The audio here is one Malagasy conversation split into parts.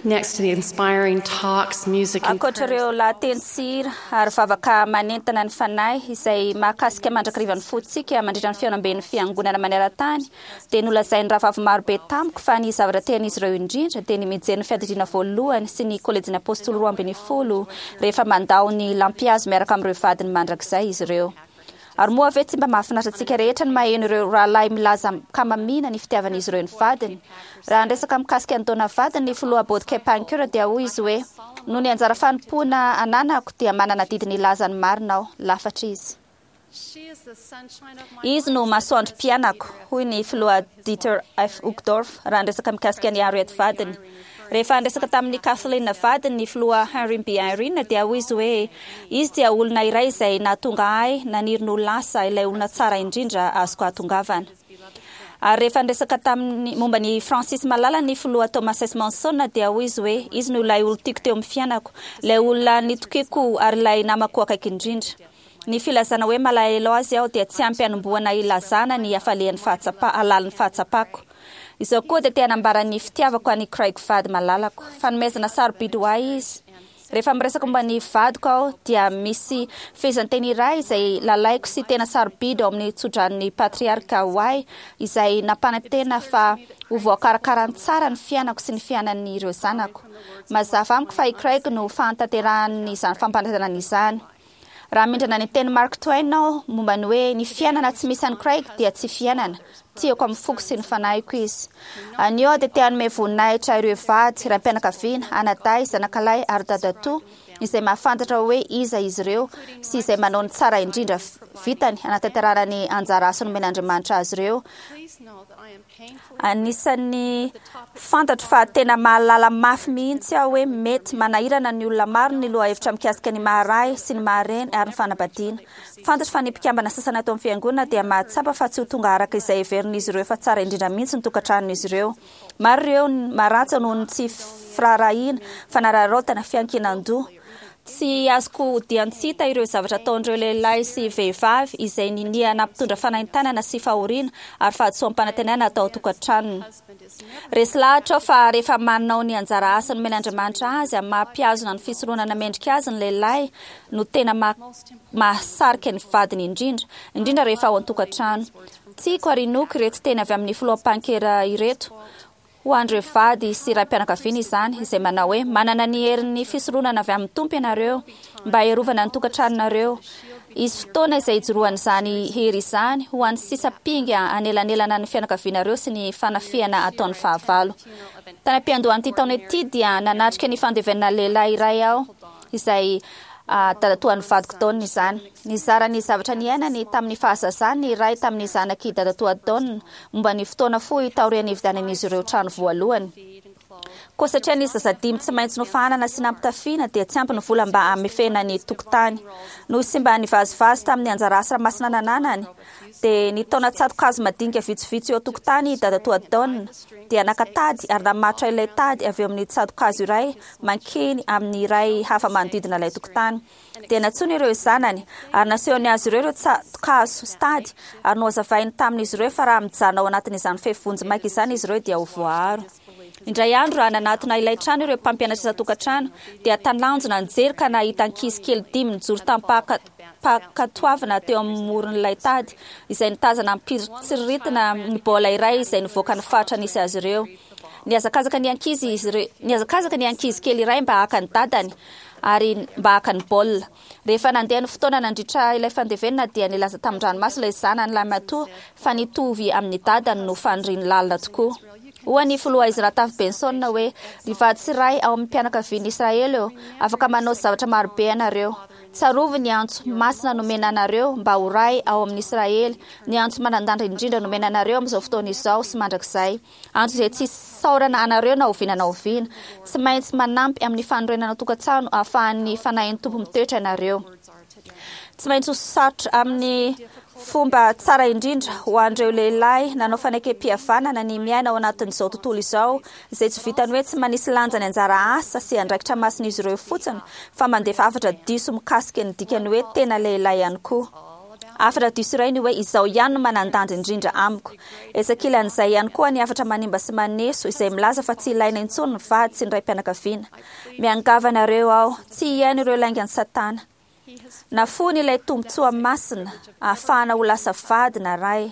Next to the inspiring talks, music and Ankoatra prayers ireo lahateny sy hira ary vavaka manentana ny fanahy izay mahakasika mandrakariva ny fontsika mandritra ny fihaonamben'ny Fiangonana maneran-tany, dia nolazain'ny rahavavy marobe tamiko fa ny zavatra tian'izy ireo indrindra dia ny mijery ny Fiadidiana Voalohany sy ny Kolejin'ny Apôstôly 12 rehefa mandao ny lampihazo miaraka amin'ireo vadiny mandrakizay izy ireo. Ary moa ve tsy mba mahafinaritra antsika rehetra ny maheno ireo rahalahy milaza an-kamamiana ny fitiavan'izy ireo ny vadiny? Raha niresaka mikasika an'i Donna vadiny ny filoha Bodke Pancur dia hoy izy hoe, Noho ny anjara fanompoana ananako dia manana adidy ny hilaza ny marina aho. Lafatra izy. Izy no masoandrom-piainako, hoy ny filoha Dieter F. Uchtdorf raha niresaka mikasika an'i Harriet vadiny. Rehefa niresaka tamin'i Kathleen vadiny ny filoha Henry B. Eyring dia hoy izy hoe, Izy dia olona iray izay nahatonga ahy naniry ny ho lasa ilay olona tsara indrindra azoko ahatongavana. Ary rehefa niresaka taminy momba an'i Francis malala ny filoha Thomas S. Monson dia hoy izy hoe, Izy no ilay olon-tiako teo amin'ny fiainako, ilay olona nitokiako ary ilay namako akaiky indrindra. Ny filazana hoe malahelo azy aho dia tsy ampy hanombohana hilazana ny hafalian'ny fahatsapa, halalin'ny fahatsapako. Izao koa dia te hanambara ny fitiavako an'i Craig vady malalako. Fanomezana sarobidy ho ahy izy. Rehefa miresaka momba ny vadiko aho dia misy fehezanteny iray izay lalaiko sy tena sarobidy ao amin'ny tsodranon'ny patriarka ho ahy izay nampanantena fa ho voakarakarany tsara ny fiainako sy ny fiainan'ireo zanako. Mazava amiko fa i Craig no fahatanterahan'izany fampanantenana izany. Raha mindrana ny tenin'i Mark Twain aho momba ny hoe ny fiainana tsy misy an'i Craig dia tsy fiainana, tiako amin'ny foko sy ny fanahiko izy. Anio aho dia te hanome voninahitra ireo vady, raim-pianakaviana, anadahy, zanakalahy ary dadatoa izay mahafantatra hoe iza izy ireo sy izay manao ny tsara indrindra vitany hanatanterahana ny anjara asa nomen'Andriamanitra azy ireo. Anisan'ny fantatro fa tena mahalala mafy mihitsy aho hoe mety manahirana ny olona maro ny lohahevitra mikasika ny maha-ray sy ny maha-reny ary ny fanambadiana. Fantatro fa ny mpikambana sasany ato amin'ny Fiangonana dia mahatsapa fa tsy ho tonga araka izay heverin'izy ireo fa tsara indrindra mihitsy ny tokantranon'izy ireo. Maro ireo maratra noho ny tsy firaharahiana, fanararaotana, fiankinan-doha. Tsy azoko odian-tsy hita ireo zavatra ataon'ireo lehilahy sy vehivavy izay ninia nampitondra fanaintainana sy fahoriana ary fahadisoam-panantenana tao an-tokantranony. Resy lahatra aho fa rehefa manao ny anjara asa nomen'Andriamanitra azy amin'ny maha-mpihazona ny fisoronana mendrika azy ny lehilahy no tena mahasarika ny vadiny indrindra, indrindra rehefa ao an-tokantrano. Tiako ary inoako ireto teny avy amin'ny Filoha Pankera ireto, Ho an'ireo vady sy raim-pianakaviana izany, izay manao hoe, Manana ny herin'ny fisoronana avy amin'ny Tompo ianareo mba hiarovana ny tokantranonareo. Hisy fotoana izay hijoroan'izany hery izany ho an'ny sisa mpinga hanelanelana ny fianakavianareo sy ny fanafihana ataon'ny fahavalo. Tany am-piandohan'ity taona ity dia nanatrika ny fandevenana lehilahy iray aho izay dadatoan'ny vadiko Don izany. Nizara ny zavatra niainany tamin'ny fahazazany ny iray tamin'ny zanak'i dadatoa Don momba ny fotoana fohy taorian'ny nividianan'izy ireo trano voalohany. Koa satria nisy zaza dimy tsy maintsy nofahanana sy nampitafiana dia tsy ampy ny vola mba hamefena ny tokotany. Noho izy tsy mba nivazivazy tamin'ny anjara asa masina nananany, dia nitaona tsato-kazo madinika vitsivitsy eo an-tokotany i dadatoa Don, dia naka tady ary namatotra ilay tady avy eo amin'ny tsato-kazo iray mankeny amin'ny iray hafa manodidina ilay tokotany. Dia nantsoiny ireo zanany, ary nasehony azy ireo ireo tsato-kazo sy tady, ary nohazavainy tamin'izy ireo fa raha mijanona ao anatin'izany fefy vonjimaika izany izy ireo dia ho voaaro. Indray andro, raha nanatona ilay trano ireo mpampianatra isan-tokantrano, dia talanjona nijery ka nahita ankizy kely dimy nijoro tamim-pankatoavana teo amin'ny moron'ilay tady, izay nitazana amim-pitsiriritana ny baolina iray izay nivoaka ny faritra nisy azy ireo. Nihazakazaka ny ankizy izy ireo, nihazakazaka ny ankizy kely iray mba haka ny dadany ary mba haka ny baolina. Rehefa nandeha ny fotoana nandritra ilay fandevenana dia nilaza tamin-dranomaso ilay zanany lahimatoa fa nitovy amin'ny dadany no faniriany lalina tokoa. Hoy ny filoha Ezra Taft Benson hoe, Ry vady sy ray ao amin'ny mpianakavian'i Israely ô, afaka manao zavatra marobe ianareo. Tsarovy ny antso masina nomena anareo mba ho ray ao amin'i Israely, ny antso manan-danja indrindra nomena anareo amin'izao fotoana izao sy mandrakizay. Antso izay tsy isaorana anareo na oviana na oviana. Tsy maintsy manampy amin'ny fanorenana tokantrano ahafahan'ny Fanahin'ny Tompo mitoetra ianareo. Tsy maintsy ho sarotra amin'ny fomba tsara indrindra ho an'ireo lehilahy nanao fanekempihavanana ny miaina ao anatin'izao tontolo izao izay tsy vitan'ny hoe tsy manisy lanja ny anjara asa sy andraikitra masin'izy ireo fotsiny fa mandefa hafatra diso mikasika ny dikan'ny hoe tena lehilahy ihany koa. Hafatra diso iray ny hoe izaho ihany no manan-danja indrindra amiko. Etsy ankilan'izay ihany koa ny hafatra manimba sy maneso izay milaza fa tsy ilaina intsony ny vady sy ny raim-pianakaviana. Miangavy anareo aho, tsy hihaino ireo laingan'i Satana. Nafoiny ilay tombontsoa masina ahafahana ho lasa vady na ray.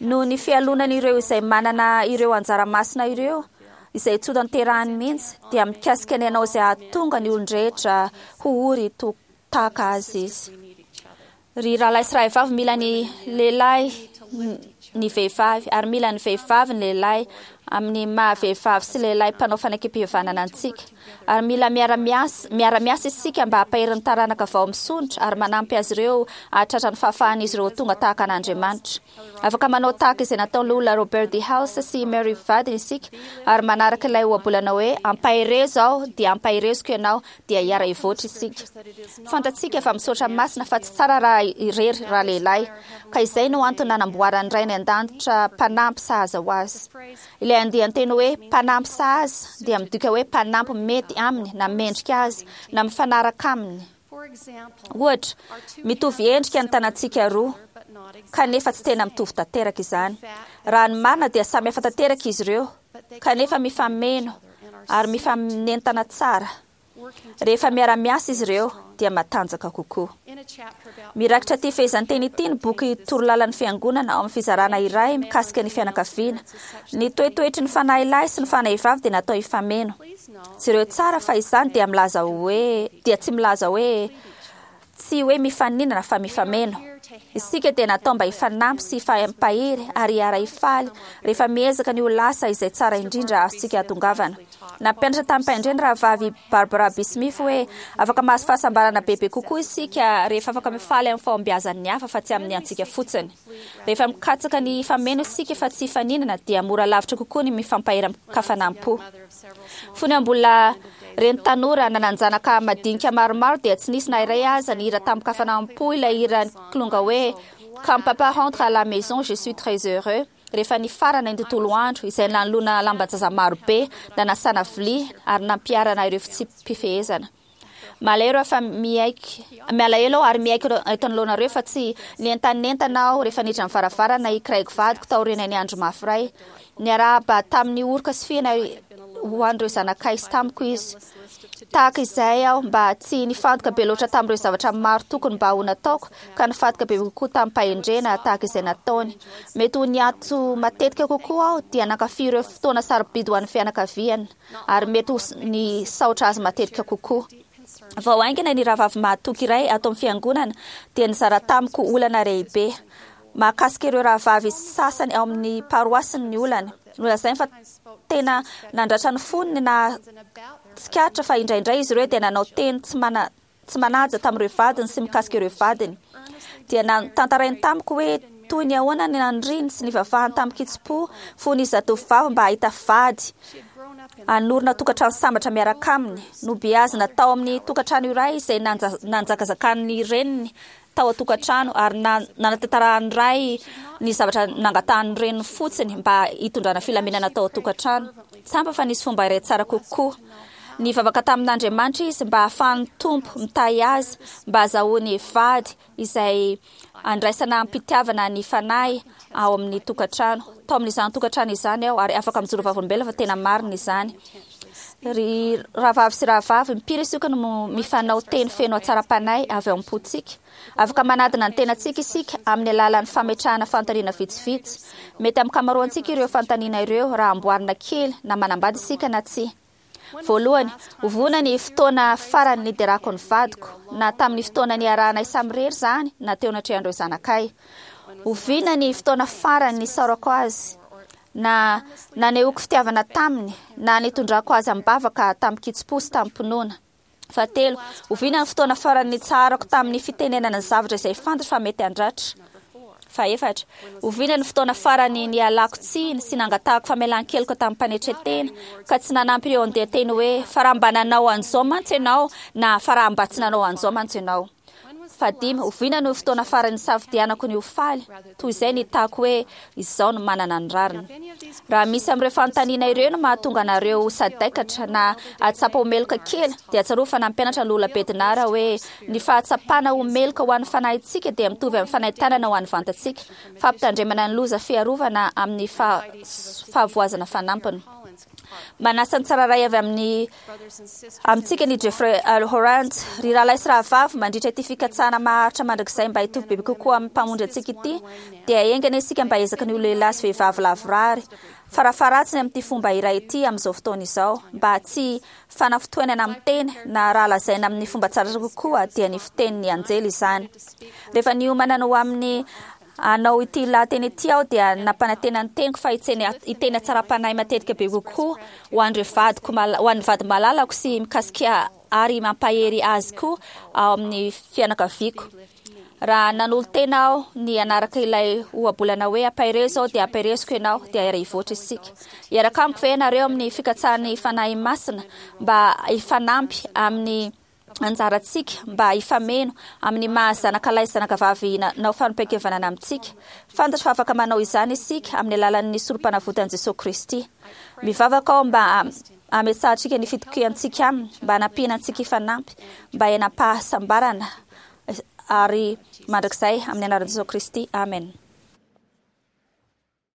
Noho ny fialonan'ireo izay manana ireo anjara masina ireo, izay tsy hotanterahiny mihitsy, dia mikasika ny hanao izay hahatonga ny olon-drehetra ho ory tahaka azy izy. Ry rahalahy sy rahavavy, mila ny lehilahy ny vehivavy, ary mila ny vehivavy ny lehilahy, amin'ny maha-vehivavy sy lehilahy mpanao fanekempihavanana antsika. Ary mila miara-miasa miara-miasa isika mba hampahery ny taranaka vao misondrotra ary manampy azy ireo hahatratra ny fahafahan'izy ireo ho tonga tahaka an'Andriamanitra. Afaka manao tahaka izay nataon'ny Loholona Robert D. Hales sy i Mary vadiny isika ary manaraka ilay ohabolana hoe ampaherezo aho dia ampahereziko ianao dia hiara-hivoatra isika. Fantatsika fa misaotra masina fa tsy tsara raha irery ralehilahy, ka izay no antony nanamboaran'ny Ray any An-danitra mpanampy sahaza ho azy. Ilay andian-teny hoe mpanampy sahaza dia midika hoe mpanampy mety aminy na mendrika azy na mifanaraka aminy. Ohatra, mitovy endrika ny tanantsika roa, kanefa tsy tena mitovy tanteraka izany. Raha ny marina dia samy hafa tanteraka izy ireo, kanefa mifameno ary mifanentana tsara. Rehefa miara-miasa izy ireo dia matanjaka kokoa. Mirakitra ity fehezanteny ity ny boky Torolalan'ny Fiangonana ao amin'ny fizarana iray mikasika ny fianakaviana. Ny toetoetry ny fanahy lahy sy ny fanahy vavy dia natao hifameno. Jereo tsara fa izany dia milaza hoe dia tsy milaza hoe Tsy hoe mifaninana fa mifameno. Isika dia natao mba hifanampy sy hifampahery ary hiara-hifaly rehefa miezaka ny ho lasa izay tsara indrindra azontsika hahatongavana. Nampianatra tamim-pahendrena Rahavavy Barbara B. Smith hoe afaka mahazo fahasambarana bebe kokoa isika rehefa afaka mifaly amin'ny fahombiazan'ny hafa fa tsy amin'ny antsika fotsiny. Rehefa mikatsaka ny hifameno isika fa tsy hifaninana dia mora lavitra kokoa ny mifampahery amin-kafanam-po. Fony aho mbola reny tanora nanan-janaka madinika maromaro dia tsy nisy na iray aza nihira tamin-kafanam-po ilay hiran'ny kilonga hoe Quand papa rentre à la maison je suis très heureux rehefa nifarana ny tontolo andro izay nanoloana lamban-jaza marobe, nanasana vilia ary nampiharana ireo fitsipi-pifehezana. Malahelo aho fa miaiky, malahelo aho ary miaiky eto anoloanareo fa tsy nientanentana aho rehefa niditra ny varavarana i Craig vadiko taorian'ny andro mafy iray. Niarahaba tamin'ny oroka sy fihina ho an'ireo zanakay sy tamiko izy. Tahaka izay aho mba tsy nifantoka be loatra tamin'ireo zavatra maro tokony mba ho nataoko ka nifantoka bebe kokoa tamim-pahendrena tahaka izay nataony. Mety ho niato matetika kokoa aho dia nankafy ireo fotoana sarobidy ho an'ny fianakaviana. ary mety ho nisaotra azy matetika kokoa. Vao haingana ny rahavavy mahatoky iray ato amin'ny fiangonana dia nizara tamiko olana lehibe. Mahakasika ireo rahavavy sasany ao amin'ny paroasiny ny olany. Nolazainy fa tena nandratra ny fony ny nahatsikaritra fa indraindray izy ireo dia nanao teny tsy mana tsy manaja tamin'ireo vadiny sy mikasika ireo vadiny. Dia notantarainy tamiko hoe toy ny ahoana ny naniriany sy nivavahany tamin-kitsim-po fony izy zatovovavy mba hahita vady hanorina tokantrano sambatra miaraka aminy. Nobeazina tao amin'ny tokantrano iray izay nanjakazakan'ny reniny tao an-tokantrano ary nanatantarahan'ny ray ny zavatra nangatahan'ny reniny fotsiny mba hitondrana filaminana tao an-tokantrano. Tsapa fa nisy fomba iray tsara kokoa. Nivavaka tamin'Andriamanitra izy mba hahafahan'ny Tompo mitahy azy mba hazahoany vady izay andraisana am-pitiavana ny fanahy ao amin'ny tokantrano. Tao amin'izany tokantrano izany aho ary afaka mijoro vavolombelona fa tena marina izany. Ry rahavavy sy rahavavy, impiry isika no mifanao teny feno hatsaram-panahy avy ao am-pontsika? Afaka manadina ny tenantsika isika amin'ny alalan'ny fametrahana fanontaniana vitsivitsy. Mety amin'ny ankamaroantsika ireo fanontaniana ireo raha amboarina kely na manambady isika na tsia. Voalohany, oviana ny fotoana farany niderako ny vadiko, na tamin'ny fotoana niarahanay samirery izany na teo anatrehan'ireo zanakay? Oviana ny fotoana farany nisaorako azy, na nanehoako fitiavana taminy, na nitondrako azy am-bavaka tamin-kitsim-po sy tamim-pinoana? Fahatelo, oviana ny fotoana farany nitsaharako tamin'ny fitenenana ny zavatra izay fantatro fa mety handratra? Fahefatra, oviana ny fotoana farany nialako tsiny sy nangatahako famelan-keloka tamim-panetren-tena, ka tsy nanampy ireo andian-teny hoe fa raha mba nanao an'izao mantsy ianao na fa raha mba tsy nanao an'izao mantsy ianao? Fahadimy, oviana no fotoana farany nisafidianako ny ho faly, toy izay ny hitako hoe izaho no manana ny rariny? Raha misy amin'ireo fanontaniana ireo no mahatonga anareo ho sadaikatra na hahatsapa ho meloka kely, dia tsarovy fa nampianatra Lola Bednar hoe ny fahatsapana ho meloka ho an'ny fanahintsika dia mitovy amin'ny fanaintainana ho an'ny vantantsika, fampitandremana ny loza fiarovana amin'ny fahavoazana fanampiny. Manasa ny tsirairay avy amin'ny amintsika ny Jeffrey L. Holland. Ry rahalahy sy rahavavy, mandritra ity fikatsahana maharitra mandrakizay mba hitovy bebe kokoa amin'ny Mpamonjy antsika ity, dia enga anie isika mba hiezaka ny ho lehilahy sy vehivavy lavorary, farafaharatsiny amin'ity fomba iray ity amin'izao fotoana izao, mba tsy fanafintohinana amin'ny teny, na raha lazaina amin'ny fomba tsara kokoa, dia ny fitenin'ny anjely izany. Rehefa niomana ny ho amin'ny Hanao ity lahateny ity aho dia nampanantena ny teniko fa hiteny hatsaram-panahy matetika be kokoa ho an'ireo vadiko ho an'ny vady malalako sy mikasika ary mampahery azy koa ao amin'ny fianakaviako. Raha nanolo-tena aho ny hanaraka ilay ohabolana hoe ampaherezo aho dia ampahereziko ianao dia hiara-hivoatra isika. Hiaraka amiko ve ianareo amin'ny fikatsahan'ny Fanahy Masina mba hifanampy amin'ny anjarantsika mba hifameno amin'ny maha zanaka lahy sy zanaka vavy nanao fanompoan-kevanana amintsika. Fantatro fa afaka manao izany isika amin'ny alalan'ny Sorompanavotan'i Jesoa Kristy. Mivavaka aho mba hametsahantsika ny fitokiantsika Aminy, mba hanampiana antsika hifanampy, mba hiainam-pahasambarana ary mandrakizay amin'ny anaran'i Jesoa Kristy. Amen.